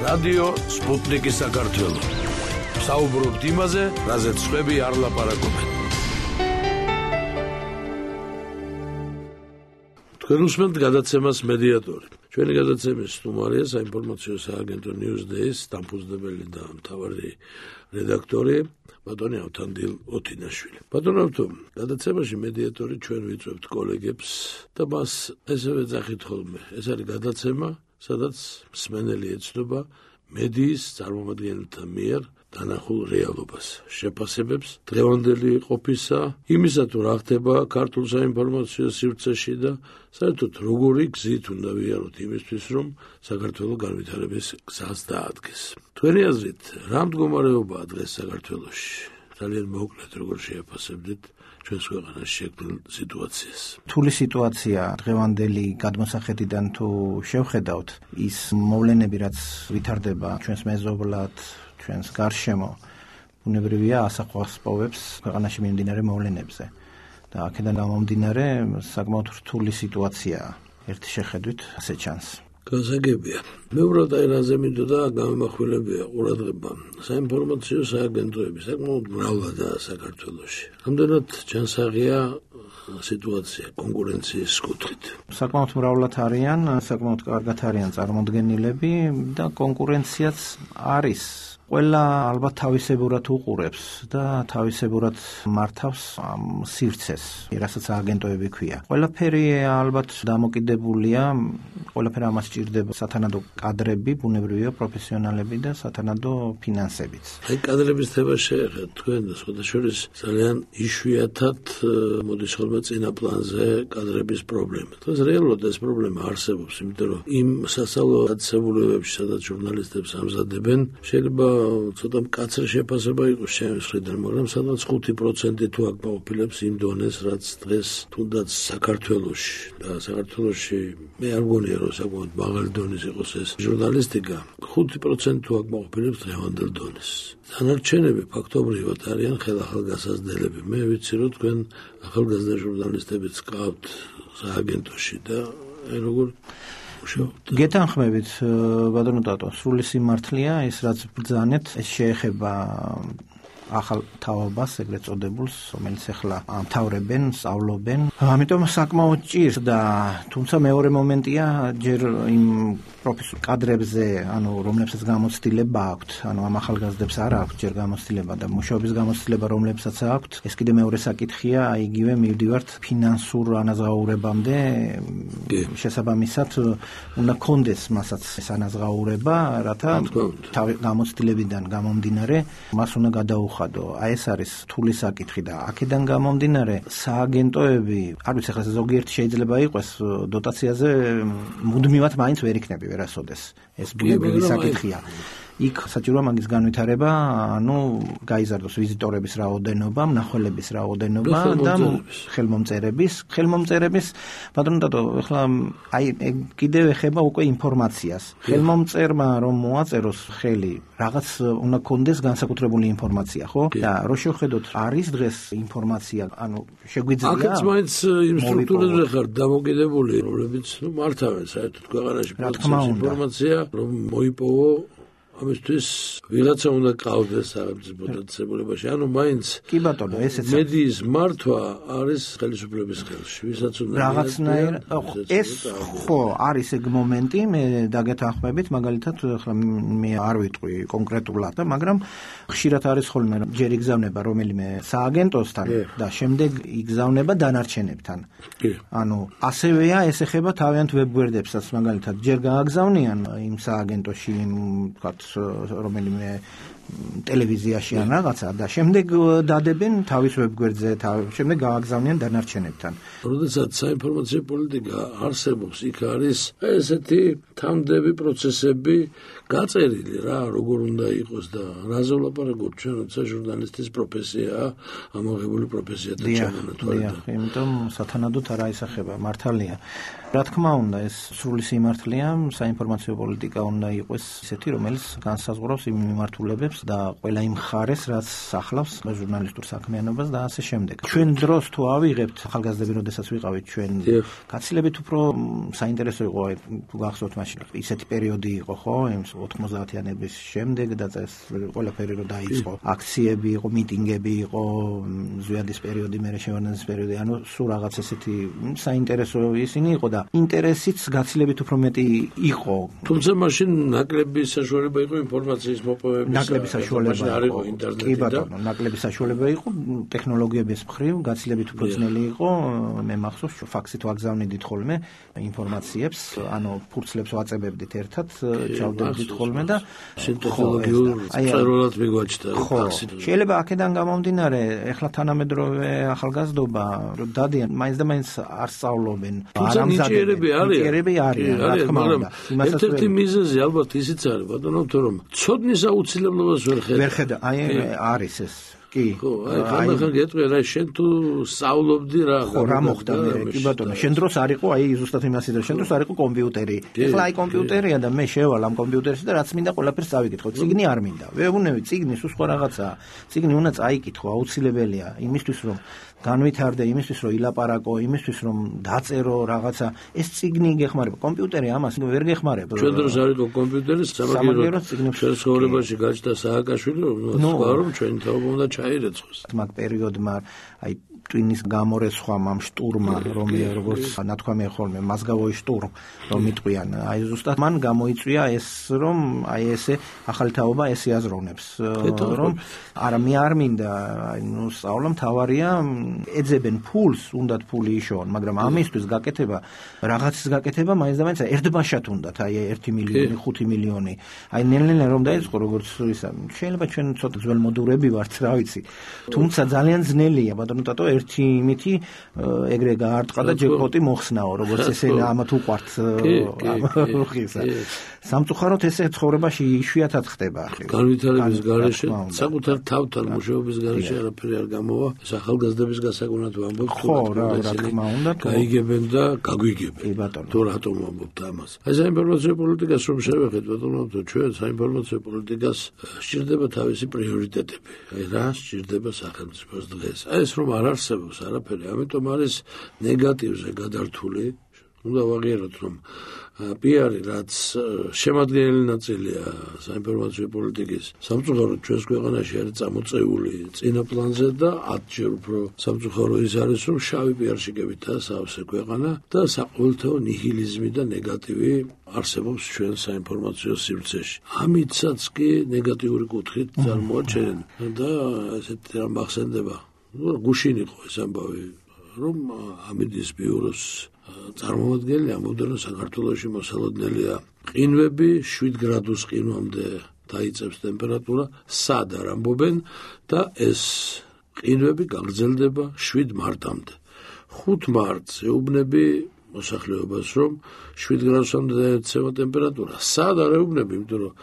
რადიო სპუტნიკი საქართველო. საუბრობთ იმაზე, რაზეც სხვები არ ლაპარაკობენ. თქვენ უსმენთ გადაცემას მედიატორი. ჩვენი გადაცემის სტუმარია საინფორმაციო სააგენტო Newsday-ის დამფუძნებელი და მთავარი რედაქტორი ბატონი ავთანდილ ოთინაშვილი. ბატონ ავთო, გადაცემაში მედიატორი ჩვენ ვიწვევთ კოლეგებს და მას ესევე ძახით ხოლმე. ეს არის გადაცემა, სადაც მსმენელი ეცნობა მედიის წარმომადგენელთა მიერ დანახულ რეალობას, შეფასებებს დღევანდელი ყოფისა, იმისა თუ რა ხდება ქართულ საინფორმაციო სივრცეში და საერთოდ როგორი გზით უნდა ვიაროთ იმისთვის, რომ საქართველოს განვითარების გზას დაადგეს. თქვენი აზრით, რა მდგომარეობაა დღეს საქართველოში? ძალიან მოკლედ როგორ შეაფასებდით ჩვენს ქვეყანაში შექმნილ სიტუაციას? რთული სიტუაცია დღევანდელი გადმოსახედიდან თუ შევხედავთ, ის მოვლენები, რაც ვითარდება ჩვენს მეზობლად, ჩვენს გარშემო, ბუნებრივია ასახვას პოვებს ქვეყანაში მიმდინარე მოვლენებზე. და აქედან გამომდინარე საკმაოდ რთული სიტუაციაა. ერთი შეხედვით ასე ჩანს. გასაგებია. მე უბრალოდ აი რაზე მინდოდა გამომახვილებია ყურადღება. საინფორმაციო სააგენტოები საკმაოდ მრავლადაა საქართველოში. რამდენად ჯანსაღია სიტუაცია კონკურენციის კუთხით? საკმაოდ მრავლად არიან, საკმაოდ კარგად არიან წარმოდგენილები და კონკურენციაც არის. ყველა ალბათ თავისებურად უყურებს და თავისებურად მართავს ამ სივრცეს, რასაც აგენტოები ქვია. ყველაფერი ალბათ დამოკიდებულია, ყველაფერი ამას სჭირდება სათანადო კადრები, ბუნებრივია პროფესიონალები და სათანადო ფინანსებიც. აი კადრების თემა შეეხეთ თქვენ და სხვადასხვა ძალიან იშვიათად მოდის ხოლმე წინა პლანზე კადრების პრობლემა. დღეს რეალურად ეს პრობლემა არსებობს, იმიტომ რომ იმ სასწავლო დაწესებულებებში, სადაც ჟურნალისტებს ამზადებენ, შეიძლება ცოტა მკაცრი შეფასება იყოს ჩემს მხრიდან, მაგრამ სადაც 5% თუ აკმაყოფილებს იმ დონეს, რაც დღეს თუნდაც საქართველოში და საქართველოში მე არ მგონია რომ საკმაოდ მაღალი დონის იყოს ეს ჟურნალისტიკა, 5% თუ აკმაყოფილებს დღევანდელ დონეს. დანარჩენები ფაქტობრივად არიან ხელახალგაზრდელები. მე ვიცი რომ თქვენ ახალგაზრდა ჟურნალისტებიც გყავთ სააგენტოში და როგორ გეთანხმებით, ბატონო დატო, სრული სიმართლეა ის, რაც ბრძანეთ, ეს შეეხება ახალ თაობას, ეგრეთ წოდებულს, რომელიც ახლა ამთავრებენ, სწავლობენ. ამიტომ საკმაოდ ჭირს და თუმცა მეორე მომენტია, ჯერ იმ პროფესიულ კადრებზე, ანუ რომლებსაც გამოცდილება აქვთ, ანუ ამ ახალგაზრდებს არ აქვთ ჯერ გამოცდილება და მუშაობის გამოცდილება რომლებსაც აქვთ, ეს კიდე მეორე საკითხია, იგივე მივდივართ ფინანსურ ანაზღაურებამდე, შესაბამისად უნდა კონდეს მასაც ეს ანაზღაურება, რათა გამოცდილებიდან გამომდინარე მას უნდა გადაუხადო. აი ეს არის რთული საკითხი და აქედან გამომდინარე სააგენტოები, არ ვიცი ახლა ზოგიერთი შეიძლება იყოს დოტაციაზე მუდმივად მაინც ვერ იქნება ვერასოდეს. ეს ბუნებრივი საკითხია. იქ საჭიროა მაგის განვითარება, ანუ გაიზარდოს ვიზიტორების რაოდენობა, მნახველების რაოდენობა და ხელმომწერების, ბატონო დატო, ახლა აი კიდევ ეხება უკვე ინფორმაციას. ხელმომწერმა რომ მოაწეროს ხელი, რაღაც უნდა კონდეს განსაკუთრებული ინფორმაცია, ხო? და რო შევხედოთ, არის დღეს ინფორმაცია, ანუ შეგვიძლია აქაც მაინც იმ სტრუქტურებზე ხარ დამოკიდებული, რომლებიც მართავენ საერთოდ ქვეყანაში ინფორმაცია, რომ მოიპოვო ამისთვის ვიღაცა უნდა ყავდეს სახელმწიფო დაწესებულებაში. ანუ მაინც კი ბატონო, ესეც მედიის მართვა არის ხელისუფლების ხელში. ვისაც უნდა რაღაცნაირად ეს ხო არის ეგ მომენტი, მე დაგეთანხმებით, მაგალითად ახლა მე არ ვიტყვი კონკრეტულად და მაგრამ ხშირად არის ხოლმე ჯერ იგზავნება რომელიმე სააგენტოსთან და შემდეგ იგზავნება დანარჩენებთან. ანუ ასევეა ეს ეხება თავიანთ ვებგვერდებსაც, მაგალითად ჯერ გააგზავნიან იმ სააგენტოში ვთქვათ რომელიმე ტელევიზიაში ან რაღაცა და შემდეგ დადებენ თავის ვებგვერდზე, შემდეგ გააგზავნიან დანარჩენებთან. როდესაც საინფორმაციო პოლიტიკა არსებობს, იქ არის ესეთი თამდები პროცესები გაწერილი რა, როგორ უნდა იყოს და რაზე ვლაპარაკობთ ჩვენ, როცა ჟურნალისტის პროფესიაა ამოღებული პროფესიათა ჩამონათვალე. იმიტომ სათანადოდ არ აისახება, მართალია. რა თქმა უნდა, ეს სრული სიმართლეა, საინფორმაციო პოლიტიკა უნდა იყოს ისეთი, რომელიც განსაზღვრავს იმ მიმართულებებს, აზროვნებს და ყველა იმ ხარეს, რაც ახლავს ჟურნალისტურ საქმიანობას და ასე შემდეგ. ჩვენ დროს თუ ავიღებთ ახალგაზრდები, როდესაც ვიყავით ჩვენ, გაცილებით უფრო საინტერესო იყო, თუ გახსოვთ მაშინ ისეთი პერიოდი იყო, ხო, 90-იანების შემდეგ და ეს ყველაფერი რო დაიწყო. აქციები იყო, მიტინგები იყო, ზვიადის პერიოდი, მერე შევარდნაძის პერიოდი, ანუ სულ რაღაც ესეთი საინტერესო ისინი იყო და ინტერესიც გაცილებით უფრო მეტი იყო. თუმცა მაშინ ნაკლები საშუალება იყო ინფორმაციის მოპოვების. ნაკლები საშუალება იყო ინტერნეტი. კი ბატონო, ნაკლები საშუალება იყო ტექნოლოგიების მხრივ, გაცილებით უფრო ძნელი იყო. მე მახსოვს, ფაქსით ვაგზავნიდით ხოლმე ინფორმაციებს, ანუ ფურცლებს ვაწებებდით ერთად, ჩავდებდით ხოლმე და ტექნოლოგიურ წერილად მიგვაჩნდა ფაქსით. შეიძლება აქედან გამომდინარე, ეხლა თანამედროვე ახალგაზრდობა დადიან, მაინც და მაინც არ სწავლობენ. ნიჭიერები არიან, რა თქმა უნდა. ერთ-ერთი მიზეზი ალბათ ისიც არის, ბატონო, რომ ცოდნის აუცილებლობას ვერ ხედა. არის ეს. კი. ხო, ხან გეტყვი რა შენ თუ სწავლობდი რა. ხო, რა მოხდა მე? კი ბატონო, შენ დროს არ იყო, ზუსტად იმას იდრო, შენ დროს არ იყო კომპიუტერი. ეხლა კომპიუტერია და მე შევალ ამ კომპიუტერში და რაც მინდა ყველაფერს წავიკითხო. წიგნი არ მინდა. ვეუბნები, წიგნი სულ სხვა რაღაცაა. წიგნი უნდა წაიკითხო, აუცილებელია იმისთვის, რომ განვითარდე, იმისთვის, რომ ილაპარაკო, იმისთვის, რომ დაწერო რაღაცა. ეს წიგნი გეხმარება. კომპიუტერი ამას ვერ გეხმარება. ჩვენ დროს არ იყო კომპიუტერი, სამაგიეროდ ჩვენ ცხოვრებაში გაჩნდა სააკაშვილი, რომ ჩვენ თაობა უნდა ჩაირეცხოს. მაგ პერიოდმა ტვინის გამორეცხვამ ამ შტურმა, როგორც ნათქვამია ხოლმე, მასგავოი შტურმ, რომ იტყვიან, ზუსტად მან გამოიწვია ეს, რომ ესე ახალი თაობა ეს იაზროვნებს, რომ არა მე არ მინდა, სწავლა მთავარია, ეძებენ ფულს, უნდათ ფული იშოვონ, მაგრამ ამისთვის გაკეთება, რაღაცის გაკეთება მაინც და მაინც ერთბაშად უნდათ, 1 მილიონი, 5 მილიონი. ნელ-ნელა რომ დაიწყო, როგორც ისა, შეიძლება ჩვენ ცოტა ძველმოდურები ვართ, რა ვიცი. თუმცა ძალიან ძნელია, ბატონო ტატო, ერთი იმითი ეგრე გაარტყა და ჯეკპოტი მოხსნაო, როგორც ესე ამათ უყვართ ამხისა. სამწუხაროდ ესე ცხოვრებაში იშვიათად ხდება. განვითარების გარეშე, საკუთარ თავთან მუშაობის გარეშე არაფერი არ გამოვა. ეს ახალგაზრდების გასაგონად ვამბობ, ხო, რა თქმა უნდა, გაიგებენ და გაგვიგებენ. თუ რატომ ვამბობთ ამას? აი საინფორმაციო პოლიტიკას რომ შევეხეთ, ბატონო, ჩვენ საინფორმაციო პოლიტიკას სჭირდება თავისი პრიორიტეტები. რა სჭირდება სახელმწიფოს დღეს? ეს რომ არ არსებობს არაფერი, ამიტომ არის ნეგატივზე გადართული. უნდა ვაღიაროთ, რომ პიარი, რაც შემადგენელი ნაწილია საინფორმაციო პოლიტიკის, სამწუხაროდ ჩვენს ქვეყანაში არის წამოწეული წინა პლანზე და 10-ჯერ უფრო სამწუხარო ის არის, რომ შავი პიარშიკებითაა სავსე ქვეყანა და საყოველთაო ნიჰილიზმი და ნეგატივი არსებობს ჩვენ საინფორმაციო სივრცეში. ამიტაც კი ნეგატიური კუთხით წარმოაჩენენ და ესეთი რამ მახსენდება. გუშინ იყო ეს ამბავი, რომ ამინდის ბიუროს წარმომადგენელი ამბობდა, რომ საქართველოში მოსალოდნელია ყინვები 7 გრადუს ყინვამდე დაიწევს ტემპერატურა, სად არ ამბობენ და ეს ყინვები გაგრძელდება 7 მარტამდე. 5 მარტს ეუბნები მოსახლეობას, რომ 7 გრადუსამდე დაეცემა ტემპერატურა. სად არ ეუბნები, იმიტომ რომ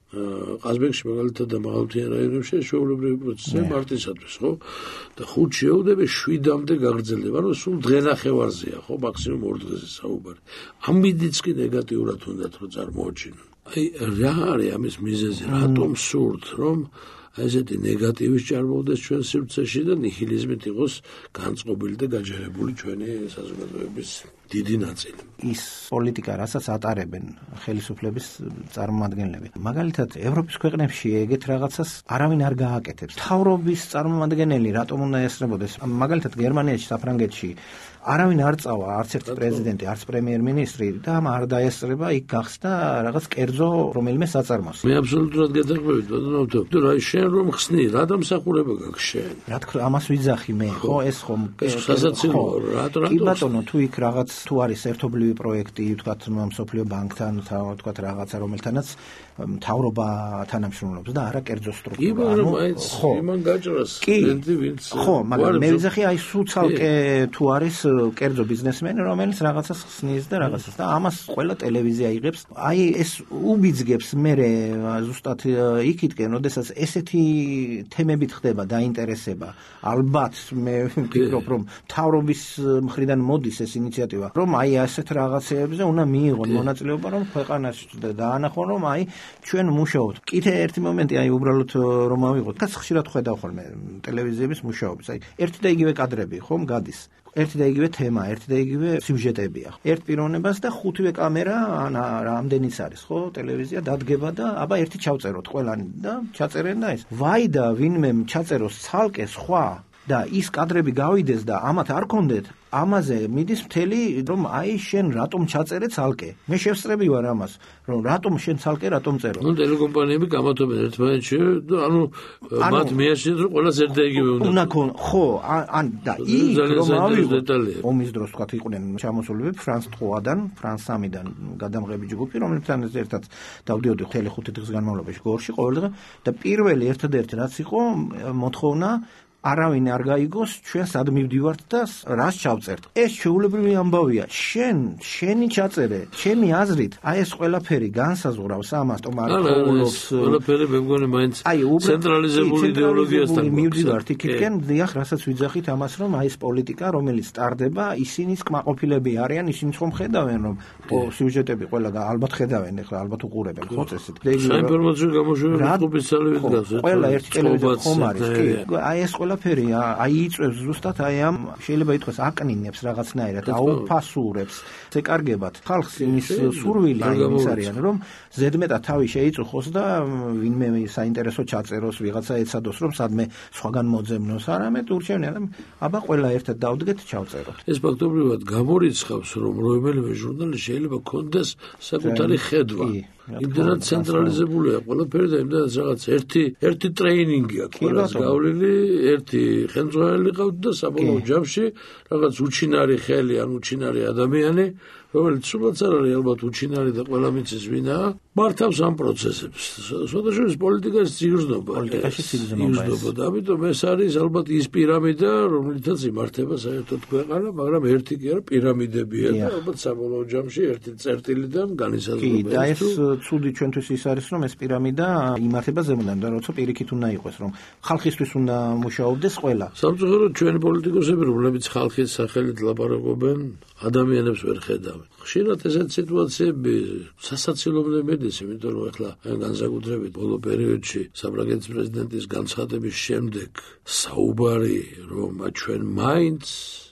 ყაზბეგში მაგალითად და მაღალმთიან რაიონებში შეულებრივი პროცესია მარტისათვის, ხო? და 5 შეუდები 7-მდე გაგრძელდება, ანუ სულ დღენახევარზეა, ხო, მაქსიმუმ 2 დღეზე საუბარი. ამიდიც კი ნეგატიურად უნდათ რომ წარმოაჩინონ. რა არის ამის მიზეზი, რატომ სურთ, რომ ესეთი ნეგატივის ჭარბობდეს ჩვენ სივრცეში და ნიჰილიზმით იყოს განწყობილი და გაჯერებული ჩვენი საზოგადოების დიდი ნაწილი. ის პოლიტიკა, რასაც ატარებენ ხელისუფლების წარმომადგენლები. მაგალითად, ევროპის ქვეყნებში ეგეთ რაღაცას არავინ არ გააკეთებს. მთავრობის წარმომადგენელი რატომ უნდა ესწრებოდეს? მაგალითად, გერმანიაში, საფრანგეთში არავინ არ წავა, არც ერთი პრეზიდენტი, არც პრემიერ-მინისტრი და არ დაესწრება, იქ გახსნა რაღაც კერძო რომელიმე საწარმოს. მე აბსოლუტურად გეთანხმებით, ბატონო, თუ რა შენ რომ ხსნი, რა დამსახურება გაქვს შენ? რა თქმა, ამას ვიძახი მე, ხო, ეს ხომ სასაცილო, რატომ? კი ბატონო, თუ იქ რაღაც თუ არის ერთობლივი პროექტი, თქვათ მსოფლიო ბანკთან, თქვათ რაღაცა რომელთანაც მთავრობა თანამშრომლობს და არა კერძო სტრუქტურა. ხო, იმან გაჭრას სტუდენტი ვინც. ხო, მაგრამ მე ვიძახი აი სულ ცალკე თუ არის კერძო ბიზნესმენი, რომელიც რაღაცას ხსნის და რაღაცას და ამას ყველა ტელევიზია იღებს. აი ეს უბიძგებს მე ზუსტად იქითკენ, როდესაც ესეთი თემებით ხდება დაინტერესება. ალბათ მე ვფიქრობ, რომ მთავრობის მხრიდან მოდის ეს ინიციატივა. რომ აი ასეთ რაღაცეებზე უნდა მიიღონ მონაწილეობა, რომ ქვეყანაში დაანახონ, რომ აი ჩვენ მუშაობთ. კიდე ერთი მომენტი, აი უბრალოდ რომ ავიღოთ, კაც ხშირად ხედავ ხოლმე ტელევიზიების მუშაობის. აი ერთი და იგივე კადრები ხომ გადის. ერთი და იგივე თემა, ერთი და იგივე სიუჟეტებია. ერთ პიროვნებას და ხუთივე კამერა ან რამდენიც არის, ხო, ტელევიზია დადგება და აბა ერთი ჩავწეროთ ყველანი და ჩაწერენ და ეს. ვაი და ვინმე ჩაწეროს ცალკე სხვა და ის კადრები გავიდეს და ამათ არ კონდეთ, ამაზე მიდის მთელი, რომ აი შენ რატომ ჩაწერე ცალკე. მე შევსწრები ვარ ამას, რომ რატომ შენ ცალკე რატომ წერო. ნუ ტელეკომპანიები გამათობენ ერთმანეთში და მათ მიაჩნიათ, რომ ყველას ერთ და იგივე უნდა. ხო, ან და იქ რომ ავიღოთ ომის დროს თქვა იყვნენ ჩამოსულები ფრანს 3-დან, ფრანს 3-დან გადამღები ჯგუფი, რომლებთან ერთად დავდიოდი მთელი 5 დღის განმავლობაში გორში ყოველ დღე და პირველი ერთადერთი რაც იყო მოთხოვნა არავინ არ გაიგოს ჩვენ სად მივდივართ და რას ჩავწერთ. ეს შეულებრივი ამბავია. შენი ჩაწერე, ჩემი აზრით, აი ეს ყველაფერი განსაზღვრავს ამას, ტომარკოლოს. ყველაფერი მე მგონი მაინც ცენტრალიზებული იდეოლოგიასთან მივდივართ იქიდან, დიახ, რასაც ვიძახით ამას, რომ აი ეს პოლიტიკა, რომელიც ტარდება, ისინიც კმაყოფილები არიან, ისინიც ხომ ხედავენ, რომ სიუჟეტები ყველა და ალბათ ხედავენ, ეხლა ალბათ უყურებენ, ხო წესით. საინფორმაციო გამოშვების ჯგუფის ძალებით გავს. ყველა ერთი ტელევიზია ხომ არის, კი. აი ეს ყველაფერი აიწევს ზუსტად აი ამ შეიძლება ითქვას აკნინებს რაღაცნაირად, აუფასურებს, ეკარგებათ ხალხს იმის სურვილი იმის არიან, რომ ზედმეტად თავი შეიწუხოს და ვინმე საინტერესო ჩაწეროს, ვიღაცა ეცადოს, რომ სადმე სხვაგან მოძებნოს, არამედ ურჩევნია და აბა ყველა ერთად დავდგეთ, ჩავწეროთ. ეს ფაქტობრივად გამორიცხავს, რომ რომელიმე ჟურნალი შეიძლება კონდეს საკუთარი ხედვა. იმდენად ცენტრალიზებულია ყველაფერი და იმდენად რაღაც ერთი ტრეინინგი აქვს ყველას გავლილი, ერთი ხელმძღვანელი ყავთ და საბოლოო ჯამში რაღაც უჩინარი ხელი ან უჩინარი ადამიანი, რომელიც სულაც არ არის ალბათ უჩინარი და ყველა მიცის ვინაა, მართავს ამ პროცესებს. სხვადასხვა პოლიტიკაში სიგრძნობა. და ამიტომ ეს არის ალბათ ის პირამიდა, რომლითაც იმართება საერთოდ ქვეყანა, მაგრამ ერთი კი არა, პირამიდებია და ალბათ საბოლოო ჯამში ერთი წერტილიდან განისაზღვრება. და ეს ცუდი ჩვენთვის ის არის, რომ ეს პირამიდა იმართება ზემოდან და როცა პირიქით უნდა იყოს, რომ ხალხისთვის უნდა მუშაობდეს ყველა. სამწუხაროდ ჩვენი პოლიტიკოსები, რომლებიც ხალხის სახელით ლაპარაკობენ, ადამიანებს ვერ ხედავენ. ხშირად ესეთ სიტუაციები სასაცილოებამდე მედის, იმიტომ რომ ახლა განსაკუთრებით ბოლო პერიოდში საფრანგეთის პრეზიდენტის განცხადების შემდეგ საუბარი, რომ ჩვენ მაინც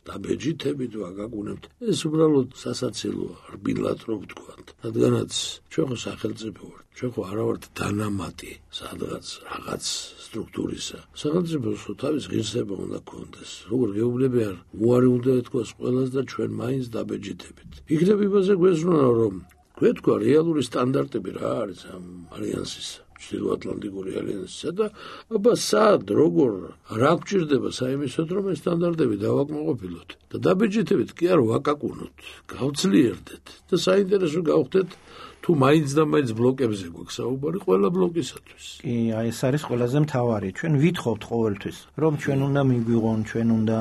დაბეჯითებით ვაგაგუნებთ, ეს უბრალოდ სასაცილოა, რბილად რო ვთქვათ. რადგანაც ჩვენ ხო სახელმწიფო ვართ, ჩვენ ხო არა ვართ დანამატი სადღაც რაღაც სტრუქტურისა. სახელმწიფოს თავის ღირსება უნდა ქონდეს. როგორ გეუბნებიან, უარი უნდა ეთქვას ყველას და ჩვენ მაინც დაბეჯითებით. იქნებ იმაზე გვესვენა, რომ გვეთქვა რეალური სტანდარტები რა არის ამ ალიანსისა. ჩრდილოატლანტიკური ალიანსისა და აბა სად, როგორ, რა გვჭირდება საიმისოდ, რომ ეს სტანდარტები დავაკმაყოფილოთ და დაბეჯითებით კი არ ვაკაკუნოთ, გავძლიერდეთ და საინტერესო გავხდეთ თუ მაინც და მაინც ბლოკებზე გვაქვს საუბარი ყველა ბლოკისათვის. კი, აი ეს არის ყველაზე მთავარი. ჩვენ ვითხოვთ ყოველთვის, რომ ჩვენ უნდა მიგვიღონ, ჩვენ უნდა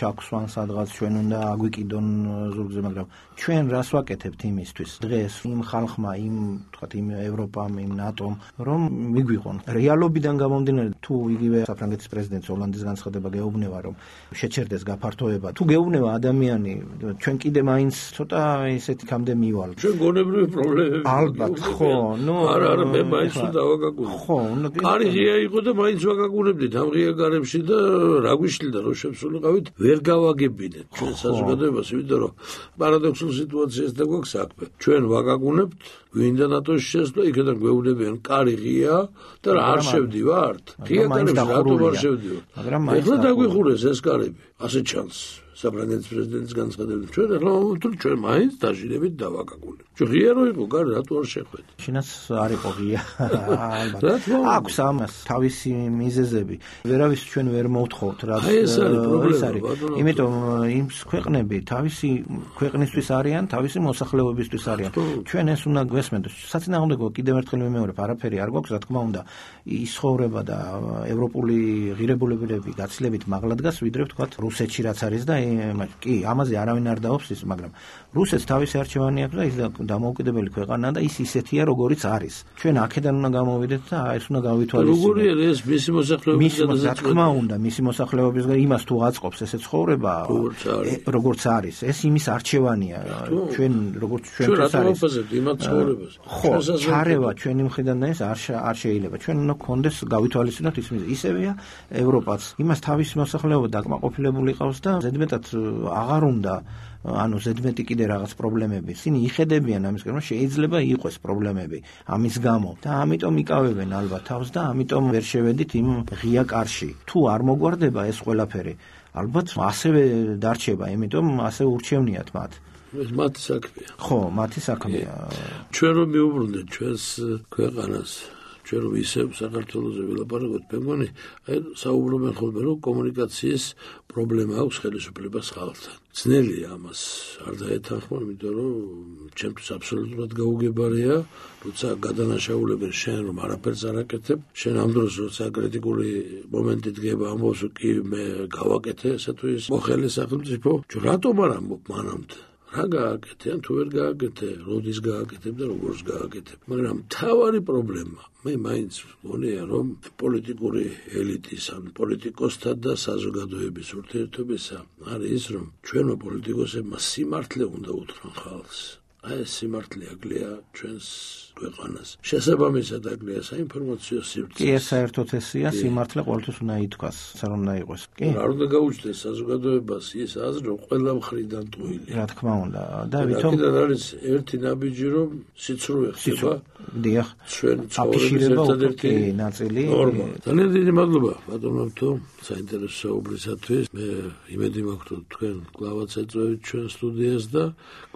ჩაგვსვან სადღაც, ჩვენ უნდა აგვიკიდონ ზურგზე, მაგრამ ჩვენ რას ვაკეთებთ იმისთვის? დღეს იმ ხალხმა, თქვათ იმ ევროპამ, იმ ნატომ, რომ მიგვიღონ. რეალობიდან გამომდინარე, თუ იგივე საფრანგეთის პრეზიდენტს ოლანდის განცხადება გეუბნება, რომ შეჩერდეს გაფართოება, თუ გეუბნება ადამიანი, ჩვენ კიდე მაინც ცოტა ესეთი კამდე მივალ. ჩვენ გონებრივი პრობლემები ალბათ, ხო, არა, მე მაინც დავაგაგუნებ. ხო, კარი ღია იყო და მაინც ვაგაგუნებდით ამ ღია გარემში და რა გვიშლიდა რომ შევსულიყავით, ვერ გავაგებინეთ ჩვენ საზოგადოებას, იმიტომ რომ პარადოქსულ სიტუაციას და გვაქვს საქმე. ჩვენ ვაგაგუნებთ, ვინდა ნატოში შესვლა, იქიდან გვეუბნებიან, კარი ღია და რა არ შევდივართ. ღია კარებში რატომ არ შევდივართ? ეხლა დაგვიხურეს ეს კარები, ასე ჩანს. საფრანგეთის პრეზიდენტის განცხადებით, ჩვენ ახლა ჩვენ მაინც დაჟინებით დავაკაკუნებთ. ჩვენ ღია რო იყო, კარი რატო არ შეხვედით? შინაც არ იყო ღია. ალბათ. აქვს ამას თავისი მიზეზები. ვერავის ჩვენ ვერ მოვთხოვთ, რაც ეს არის პრობლემა. იმიტომ იმ ქვეყნები თავისი ქვეყნისთვის არიან, თავისი მოსახლეობისთვის არიან. ჩვენ ეს უნდა გვესმენდოს. საწინააღმდეგო კიდევ ერთხელ ვიმეორებ, არაფერი არ გვაქვს, რა თქმა უნდა, ის ცხოვრება და ევროპული ღირებულებები გაცილებით მაღლა დგას, ვიდრე ვთქვათ რუსეთში რაც არის და კი, ამაზე არავინ არ დაობს ის, მაგრამ რუსეთს თავისი არჩევანი აქვს და ის დამოუკიდებელი ქვეყანაა და ის ისეთია, როგორიც არის. ჩვენ აქედან უნდა გამოვიდეთ და ეს უნდა გავითვალისწინოთ. როგორია ეს მისი მოსახლეობის რა თქმა უნდა, მისი მოსახლეობის იმას თუ აწყობს ესე ცხოვრება, როგორც არის. ეს იმის არჩევანია. ჩვენ როგორც ჩვენთვის არის. იმათ ცხოვრებას. ხო, ჩარევა ჩვენი მხრიდან და ეს არ შეიძლება. ჩვენ უნდა გქონდეს გავითვალისწინოთ ისევეა ევროპაც. იმას თავისი მოსახლეობა დაკმაყოფილებული ყავს და ზედმეტად აღარ უნდა ზედმეტი კიდე რაღაც პრობლემები. ისინი იხედებიან ამისკენ, რომ შეიძლება იყოს პრობლემები ამის გამო და ამიტომ იკავებენ ალბათ თავს და ამიტომ ვერ შევედით იმ ღია კარში. თუ არ მოგვარდება ეს ყველაფერი, ალბათ ასევე დარჩება, იმიტომ ასე ურჩევნიათ მათ. ეს მათი საქმეა. ხო, მათი საქმეა. ჩვენ რომ მივუბრუნდეთ ჩვენს ქვეყანას, ჩვენ რომ ისევ საქართველოზე ვილაპარაკოთ, მე მგონი, საუბრობენ ხოლმე, რომ კომუნიკაციის პრობლემა აქვს ხელისუფლებას ხალხთან. ძნელია ამას არ დაეთანხმა, იმიტომ რომ ჩემთვის აბსოლუტურად გაუგებარია, როცა გადანაშაულებენ შენ რომ არაფერს არ აკეთებ, შენ ამ დროს როცა კრიტიკული მომენტი დგება, ამბობს კი მე გავაკეთე ესა თუ ის მოხელე სახელმწიფო, რატომ არ ამბობ მანამდე? რა გააკეთე, ან თუ ვერ გააკეთე, როდის გააკეთებ და როგორს გააკეთებ. მაგრამ მთავარი პრობლემა, მე მაინც მგონია, რომ პოლიტიკური ელიტის, ან პოლიტიკოსთა და საზოგადოების ურთიერთობისა არის ის, რომ ჩვენო პოლიტიკოსებმა სიმართლე უნდა უთხრან ხალხს. აი ეს სიმართლე აკლია ჩვენს ქვეყანას. შესაბამისად აკლია საინფორმაციო სივრცეს. კი, ეს საერთოდ ესია, სიმართლე ყოველთვის უნდა ითქვას, არ უნდა იყოს. კი. არ უნდა გაუჩნდეს საზოგადოებას ის აზრი, რომ ყველა მხრიდან ტყუილი. რა თქმა უნდა. და ვითომ არის ერთი ნაბიჯი, რომ სიცრუე ხდება. დიახ. ჩვენ ცხოვრების ერთადერთი ნაწილი. ძალიან დიდი მადლობა ბატონებთო საინტერესო საუბრისათვის. მე იმედი მაქვს, რომ თქვენ კლავაც ეწევით ჩვენ სტუდიას და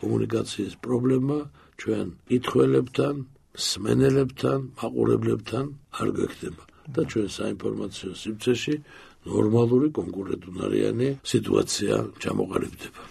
კომუნიკაციის პრობლემა ჩვენ კითხველებთან, სმენელებთან, მაყურებლებთან არ გექნება და ჩვენ საინფორმაციო სივრცეში ნორმალური კონკურენტუნარიანი სიტუაცია ჩამოყალიბდება.